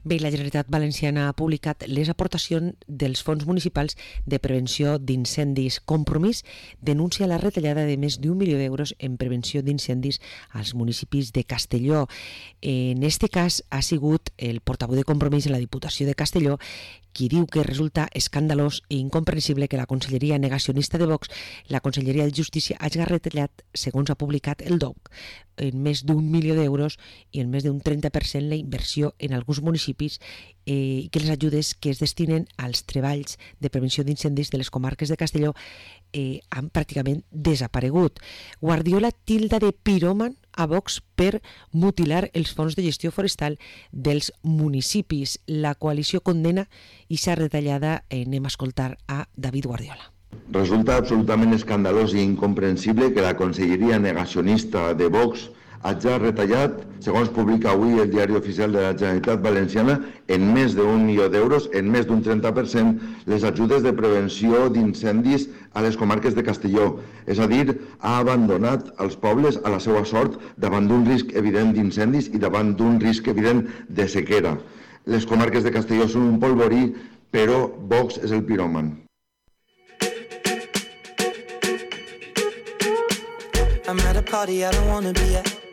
Bé, la Generalitat Valenciana ha publicat les aportacions dels fons municipals de prevenció d'incendis. Compromís denuncia la retallada de més d'1 milió d'euros en prevenció d'incendis als municipis de Castelló. En este cas ha sigut el portaveu de Compromís en la Diputació de Castelló qui diu que resulta escandalós i incomprensible que la Conselleria negacionista de Vox, la Conselleria de Justícia, hagi retallat, segons ha publicat el DOC, en més d'1 milió d'euros i en més d'un 30% la inversió en alguns municipis i que les ajudes que es destinen als treballs de prevenció d'incendis de les comarques de Castelló han pràcticament desaparegut. Guardiola tilda de piròman a Vox per mutilar els fons de gestió forestal dels municipis. La coalició condena i s'ha retallada. Anem a escoltar a David Guardiola. Resulta absolutament escandalós i incomprensible que la conselleria negacionista de Vox hagi retallat, segons publica avui el Diari Oficial de la Generalitat Valenciana, en més d'1 milió d'euros, en més d'un 30%, les ajudes de prevenció d'incendis a les comarques de Castelló. És a dir, ha abandonat els pobles a la seva sort davant d'un risc evident d'incendis i davant d'un risc evident de sequera. Les comarques de Castelló són un polvorí, però Vox és el piròman. I'm at a party I don't wanna be at.